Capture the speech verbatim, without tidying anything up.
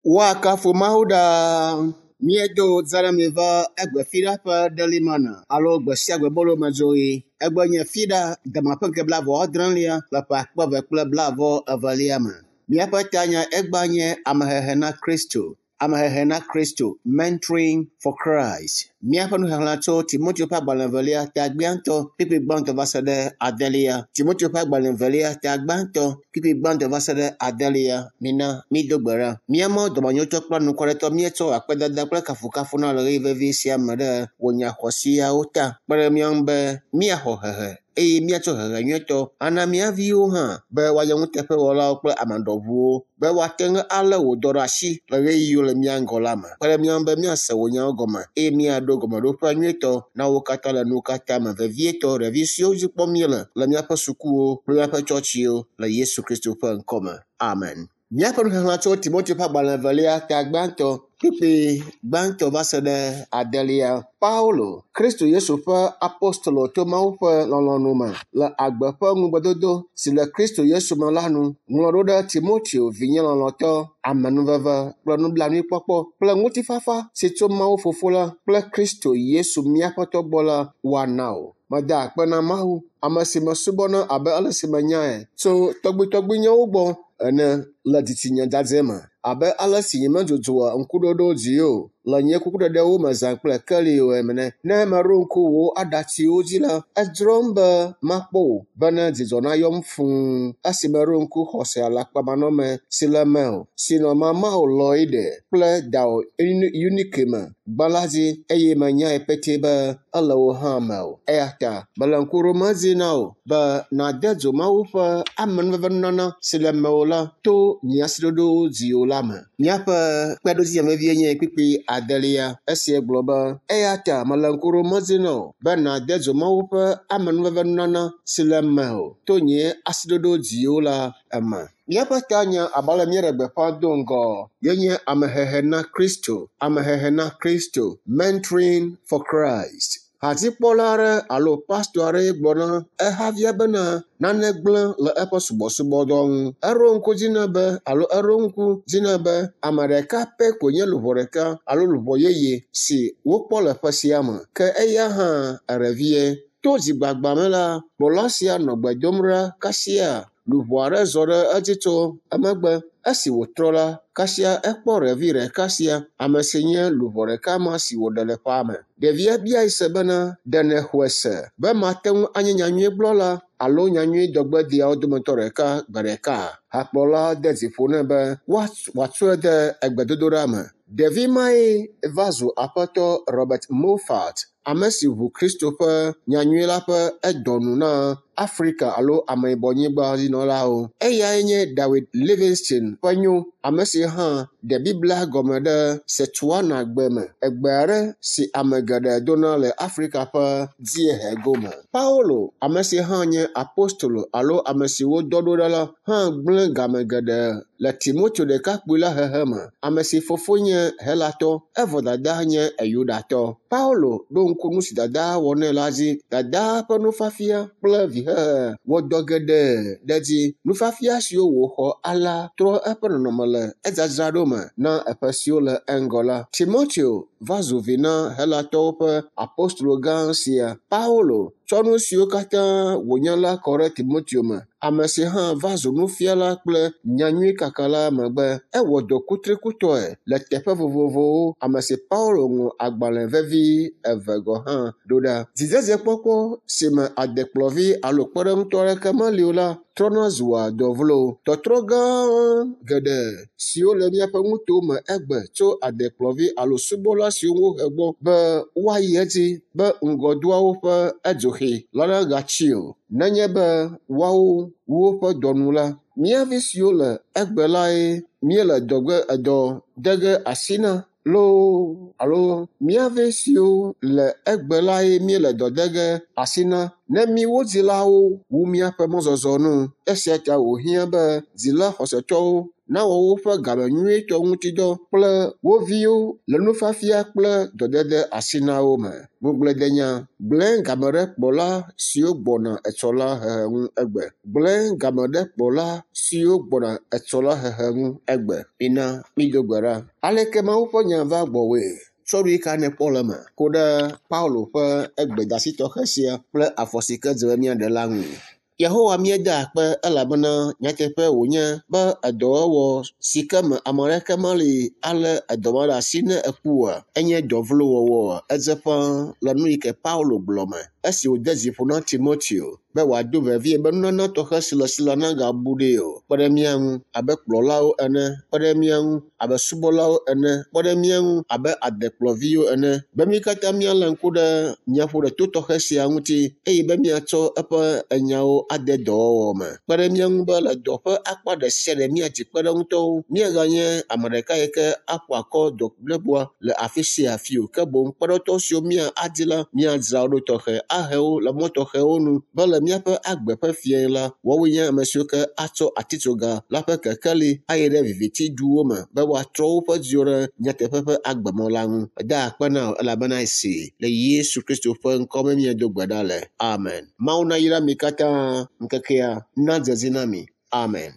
Woakafu Mawu ɖaa. Míedo zã mi va egbe fiɖa ƒe Daily Manna alo gbe sia gbe bolomedzoɣi. Egbe nye fiɖa dama ƒe ŋkeke blaeve adrelia le ƒe akpe eve kple blaeve evelia me. Míaƒe tanya egba nye amehehe na Kristo. Amehehe na Kristo, Mentoring for Christ. Míaƒe nuxexlẽ tso Timoteo ƒe agbalẽ evelia ta gbãtɔ kpukpui gbãtɔ va se ɖe adelia. Timoteo ƒe agbalẽ evelia ta gbãtɔ kpukpui gbãtɔ va se ɖe adelia. Mina mído gbe ɖa. Mía Mawu dɔmenyotɔ kple anukwaretɔ míetsɔ akpedada kple kafukafu na le ɣeyiɣi vevi sia me ɖe wò nya xɔasiawo ta. Kpe ɖe mía ŋu be míaxɔ hehe eye míatsɔ hehe nyuietɔ ana mía viwo hã be woanye nuteƒewɔlawo kple ame ɖɔʋuwo be woate ŋu alé wò dɔ ɖe asi le ɣeyiɣiwo le mía ŋgɔ la me. Kpe ɖe mía ŋu be míase wò nyawo gɔme eye míaɖo gɔmeɖoƒe nyuietɔ na wo katã le nuwo katã me vevietɔ ɖevi siwo dzi kpɔm míele le míaƒe sukuwo kple míaƒe tsɔtsiwo le Yesu Kristo ƒe ŋkɔme. Amen. Míaƒe nuxexlẽ tso Timoteo ƒe agbalẽ evelia ta gbãtɔ kpukpui gbãtɔ va se ɖe adelia. Paulo, Kristo Yesu ƒe apostolo to Mawu ƒe lɔlɔ̃nu me le agbe ƒe ŋugbedodo si le Kristo Yesu me la nu, ŋlɔ ɖo ɖe Timoteo vinye lɔlɔ̃tɔ, amenuveve kple nublanuikpɔkpɔ kple ŋutifafa si tso Mawu Fofo la kple Kristo Yesu mía Aƒetɔ gbɔ la woana wò. Meda akpe na Mawu, ame si mesubɔna abe ale si menyae tso tɔgbuitɔgbuinyewo gbɔ ene le dzitsinya dzadzɛ me abe ale si nyemedzudzɔa ŋkuɖoɖo dzi o le nye kukuɖeɖewo me zã kple keli o ene. Ne meɖo ŋku wò aɖatsiwo dzi la, edzrom be makpɔ wò bene dzidzɔ nayɔm fũu esi meɖo ŋku xɔse alakpamanɔme si le mewò, si nɔ mamawò Loide kple dawò Eunike me gbã la dzi eye menyae petɛ be ele wò hã mewò. Eya ta mele ŋku ɖom edzi na wò be nàde dzo Mawu ƒe amenuvevenunana si le mewò la to nye asiɖoɖowo dziwò la me. Míaƒe kpeɖodzinya vevie nye kpukpui adelia. Esia gblɔ be eya ta mele ŋku ɖom edzi na wò be nàde dzo Mawu ƒe amenuvevenunana si le mewò to nye asiɖoɖo dziwò la eme. Míaƒe tanya abe ale míeɖe gbeƒã do ŋgɔ yenye amehehe na Kristo, amehehe na Kristo, Mentoring for Christ. Hadzikpɔla aɖe alo pastɔ aɖee gblɔ na ehavia bena nane gblẽ le eƒe subɔsubɔdɔ ŋu. Eɖo ŋku dzi nɛ be alo eɖo ŋku dzi nɛ be ame ɖeka pɛ koe nye luʋɔ ɖeka alo luʋɔ yeye si wokpɔ le ƒe sia me. Ke eya hã eɖevie. To dzigbagba me la, kplɔla sia nɔ gbe dom ɖa kasia luʋɔ aɖe zɔ ɖe edzi tso emegbe. Esi wòtrɔ la, kasia ekpɔ ɖevi ɖeka sia, ame si nye luʋɔ ɖeka ma si wòɖe le ƒea me. Ɖevia biae se bena, ɖe nèxɔe se be mate ŋu anye nyanyuigblɔla alo nyanyuidɔgbedeawo dometɔ ɖeka gbe ɖeka? Hakplɔla de dzi ƒo nɛ be wòatsɔe de egbedodoɖa me. Ɖevi mae va zu aƒetɔ Robert Moffat, ame si ʋu Kristo ƒe nyanyui la ƒe edɔnu na Afrika alo ameyibɔnyigba dzinɔlawo. Eyae nye David Livingstone ƒe nyo, ame si hã ɖe Biblia gɔme ɖe Setswana gbe me, egbe aɖe si ame geɖe dona le Afrika ƒe dziehe gome. Paulo, ame si hã nye apostolo alo ame si wodɔ ɖo ɖa la, hã gblẽ game geɖe le Timoteo ɖekakpui la hehe me, ame si fofo nye Helatɔ, evɔ dadaa nye Yudatɔ. Paulo ɖo ŋku nu si dadaa wɔ nɛ la dzi. Dadaa ƒe nufiafia kple vihehe wɔ dɔ geɖe ɖe edzi. Nufiafia siwo wòxɔ alea trɔ eƒe nɔnɔme le edzadzraɖo me na eƒe siwo le eŋgɔ la. Timoteo va zu vi na Helatɔwo ƒe apostolo gã sia. Paulo tsɔ nu siwo katã wònya la kɔ ɖe Timoteo me, ame si hã va zu nufiala kple nyanyuikakala megbe. Ewɔ dɔ kutrikutɔe le teƒe vovovowo, ame si Paulo ŋlɔ agbalẽ vevi eve gɔ̃ hã ɖo ɖa. Dzidzedzekpɔkpɔ si me adekplɔvi alo kpeɖeŋutɔ aɖeke meli o la trɔna zua dɔ vlo. Tɔtrɔ gã geɖe siwo le míaƒe nutowo me egbe tso adekplɔvi alo subɔla siwo wohe gbɔ be woayi edzi be ŋgɔdoawo ƒe edzoxi la nagatsi o. Nenye be woawo wu woƒe dɔ nu la, mía vi siwo le egbe lae míele dɔgbe edɔ de ge asi na loo alo mía vi siwo le egbe lae míele dɔ de ge asi na ne míwo dzilawo wu míaƒe mɔzɔzɔ nu. Esia ta wòhiã be dzila xɔsetɔwo nawɔ woƒe game nyuitɔ ŋuti dɔ kple wo viwo le nufiafia kple dɔdede asi na wo me. Ŋugbledenya gblẽ game ɖe kplɔla siwo gbɔna etsɔ la hehe ŋu egbe. Gblẽ game ɖe kplɔla siwo gbɔna etsɔ la hehe ŋu egbe. Mina mído gbe ɖa. Aleke Mawu ƒe nya va gbɔwòe? Tsɔ nu yi ka nèkpɔ le eme ku ɖe Paulo ƒe egbedasi tɔxɛ sia kple afɔ si ke dze be míaɖe la ŋui. Yehowa míeda akpe elabena nyateƒe wònye be edɔwɔwɔ si ke me ame aɖeke meli alé edɔ ma ɖe asi ne eku oa, enye dɔ vlo wɔwɔ. Edze ƒãa le nu yi ke Paulo gblɔ me esi wòde dzi ƒo na Timoteo be wòado vevie be nunana tɔxɛ si le esi la nagabu ɖee o. Kpe ɖe mía ŋu abe kplɔlawo ene, kpe ɖe mía ŋu abe subɔlawo ene, kpe ɖe mía ŋu abe adekplɔviwo ene be mí katã míalé ŋku ɖe nyaƒoɖeto tɔxɛ sia ŋuti eye be míatsɔ eƒe enyawo ade dɔwɔwɔ me. Kpe ɖe mía ŋu be le dɔ ƒe akpa ɖe sia ɖe míadzi kpeɖeŋutɔwo, míaganye ame ɖeka yi ke aƒo akɔ dɔ bliboa le afi sia afi o. Ke boŋ kpeɖeŋutɔ siwo míadi la, míadzra wo ɖo tɔxɛ ahe wo le mɔ tɔxɛwo nu be le míaƒe agbe ƒe fia la, woawoe nye ame siwo ke atsɔ atitsoga la ƒe kekeli ayi ɖe viviti duwo me be woatrɔ woƒe dziwo ɖe nyateƒe ƒe agbemɔ la ŋu. Eda akpe na wò elabena esi le Yesu Kristo ƒe ŋkɔ me míedo gbe ɖa le. Amen. Mawu nayra mi katã ŋkekea nadze dzi na mi. Amen.